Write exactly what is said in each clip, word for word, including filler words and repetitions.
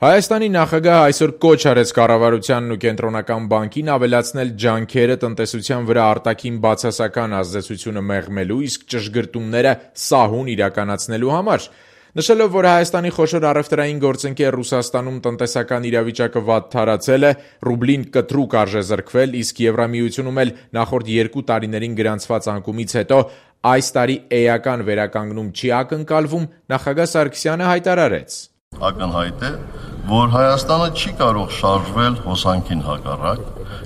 Հայաստանի նախագահը այսօր կոչ արեց կառավարությանն ու կենտրոնական բանկին ավելացնել ջանքերը տնտեսության վրա արտաքին բացասական ազդեցությունը մեղմելու, իսկ ճշգրտումները սահուն իրականացնելու համար: Նշելով, որ Հայաստանի խոշոր առևտրային գործընկեր Ռուսաստանում տնտեսական իրավիճակը վատթարացել է, ռուբլին կտրուկ արժեզրկվել, իսկ Եվրամիությունում էլ նախորդ երկու տարիներին գրանցված անկումից հետո այս տարի էական վերականգնում չի ակնկալվում, նախագահ Սարգսյանը հայտարարեց. Ակնհայտ է, որ Հայաստանը չի կարող շարժվել հոսանքին հակառակ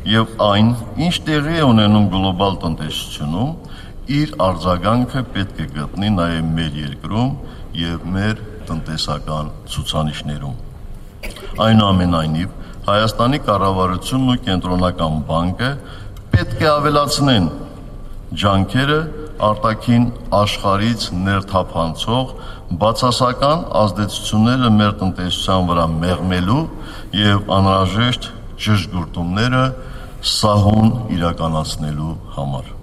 եւ այն, ինչ տեղի է ունենում գլոբալ տնտեսությունում, իր արձագանքը պետք է գտնի նաեւ մեր երկրում եւ մեր տնտեսական ցուցանիշներում։ Այնուամենայնիվ, Հայաստանի կառավարությունն ու կենտրոնական բանկը պետք է ավելացնեն ջանքերը արտաքին աշխարհից ներթափանցող բացասական ազդեցությունները մեր տնտեսության վրա մեղմելու եւ անհրաժեշտ ճշգրտումները սահուն իրականացնելու համար։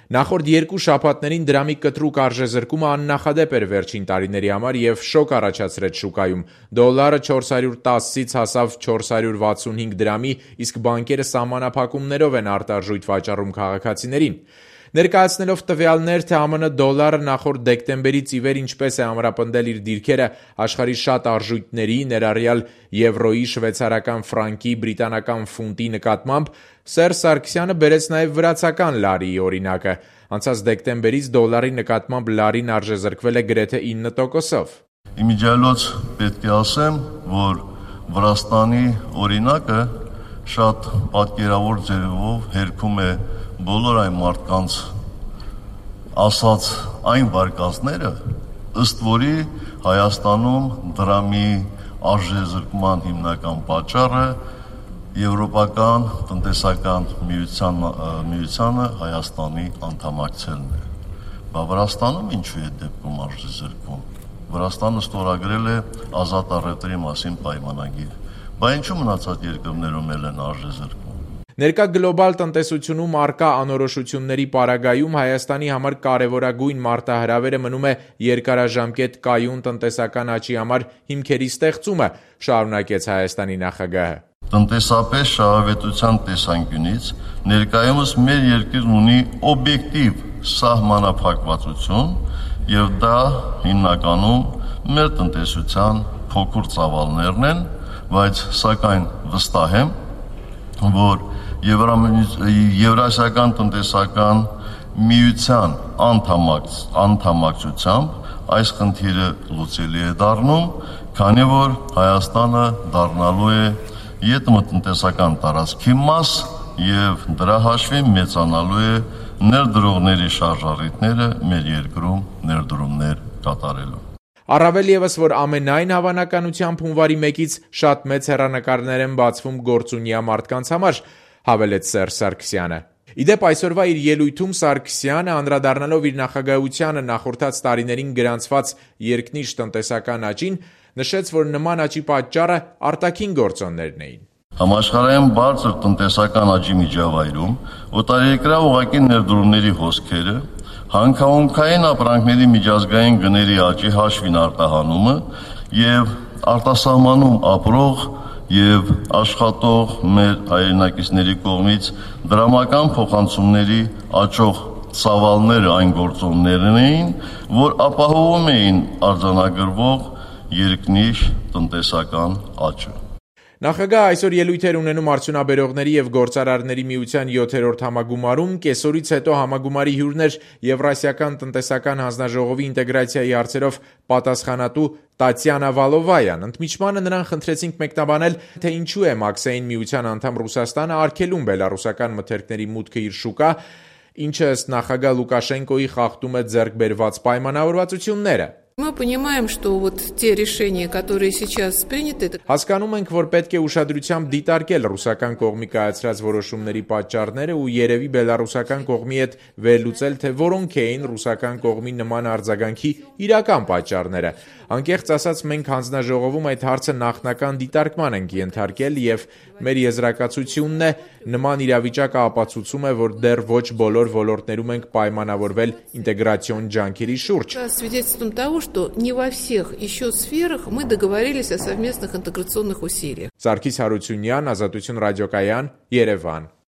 Նախորդ երկու շաբաթներին դրամի կտրուկ արժեզրկումը աննախադեպ էր վերջին տարիների համար եւ շոկ առաջացրեց շուկայում։ Դոլարը չորս հարյուր տասից հասավ չորս հարյուր վաթսունհինգ դրամի, իսկ բանկերը սահմանափակումներով են արտարժույթ վաճառում քաղաքացիներին։ Ներկայացնելով տվյալներ, թե ԱՄՆ դոլարը նախորդ դեկտեմբերից ի վեր ինչպես է ամրապնդել իր դիրքերը աշխարհի շատ արժույթների, ներառյալ եվրոյի, շվեյցարական ֆրանկի, բրիտանական ֆունտի նկատմամբ, Սերժ Սարգսյանը բերեց նաև վրացական լարիի օրինակը։ Անցած դեկտեմբերից դոլարի նկատմամբ լարին արժեզրկվել է գրեթե ինը տոկոսով։ Իմիջիայլոց պետք է ասեմ, որ Վրաստանի օրինակը շատ պատկերավոր ձևով հերքում է բոլոր այն մարդկանց ասած այն վարկածները, ըստ որի Հայաստանում դրամի արժեզրկման հիմնական պատճառը Եվրոպական տնտեսական միության, միությանը Հայաստանի անդամակցելն է։ Բա Վրաստանում ինչու է դեպքում արժեզրկում։ Վրաստանը ստորագրել է ազատ առևտրի մասին պայմանագիր։ Բա ինչու մնացած երկրներում էլ են արժեզրկում։ Ներկա գլոբալ տնտեսությունում առկա անորոշությունների պարագայում Հայաստանի համար կարևորագույն մարտահրավերը մնում է երկարաժամկետ կայուն տնտեսական աճի համար հիմքերի ստեղծումը, շարունակեց Հայաստանի նախագահը։ Տնտեսապես շահավետության տեսանկյունից ներկայումս մեր երկիրն ունի օբյեկտիվ սահմանափակվածություն եւ դա հիմնականում մեր տնտեսության փոքր ծավալներն են, բայց սակայն վստահ եմ, որ Եվրասիական տնտեսական միության անդամակցությամբ այս խնդիրը լուծելի է դառնում, քանի որ Հայաստանը դառնալու է ետմտնտեսական տարածքի մաս եւ դրա հաշվին մեծանալու է ներդրողների շարժառիթները մեր երկրում ներդրումներ կատարելու։ Առավել ևս, որ ամենայն հավանականությամբ հունվարի մեկից շատ մեծ հեռանկարներ են բացվում գործունյա մարդկանց համար, հավելեց Սերժ Սարգսյանը։ Իդեպ այսօրվա իր ելույթում Սարգսյանը, անդրադառնալով իր նախագահությանը նախորդած տարիներին գրանցված երկնիշ տնտեսական աճին, նշեց, որ նման աճի պատճառը արտաքին գործոններն էին։ Համաշխարհային բարձր տնտեսական աճի միջավայրում օտարերկրյա ուղղակի ներդրումների հոսքերը, հանքահոնքային ապրանքների միջազգային գների աճի հաշվին արտահանումը եւ արտասահմանում ապրող եւ աշխատող մեր հայրենակիցների կողմից դրամական փոխանցումների աճող ծավալները այն գործոններն էին, որ ապահովում էին արձանագրվող երկնիշ տնտեսական աճը։ Նախագահը այսօր ելույթ էր ունենում արդյունաբերողների եւ գործարարների միության յոթերորդ համագումարում, կեսօրից հետո համագումարի հյուրն էր Եվրասիական տնտեսական հանձնաժողովի ինտեգրացիայի հարցերով պատասխանատու Տատյանա Վալովայան։ Ընդմիջմանը նրան խնդրեցինք մեկնաբանել, թե ինչու է Մաքսային միության անդամ Ռուսաստանը արգելում բելառուսական մթերքների մուտքը իր շուկա, ինչը ըստ նախագահ Լուկաշենկոյի խախտում է ձեռք բերված պայմանավորվածությունները։ Мы понимаем, что вот те решения, которые сейчас приняты... Հասկանում ենք, որ պետք է ուշադրությամբ դիտարկել ռուսական կողմի կայացրած որոշումների պատճառները ու երևի բելառուսական կողմի հետ վերլուծել, թե որոնք էին ռուսական կողմի նման արձագանքի իրական պատճառները։ Անկեղծ ասած, մենք հանձնաժողովում այդ հարցը նախնական դիտարկման ենք ենթարկել եւ մեր եզրակացությունն է, Նման իրավիճակը ապացուցում է, որ դեռ ոչ բոլոր ոլորտներում ենք պայմանավորվել ինտեգրացիոն ջանքերի շուրջ։ Свидетельством того, что не во всех еще сферах мы договорились о совместных интеграционных усилиях. Սարգիս Հարությունյան, Ազատություն ռադիոկայան, Երևան։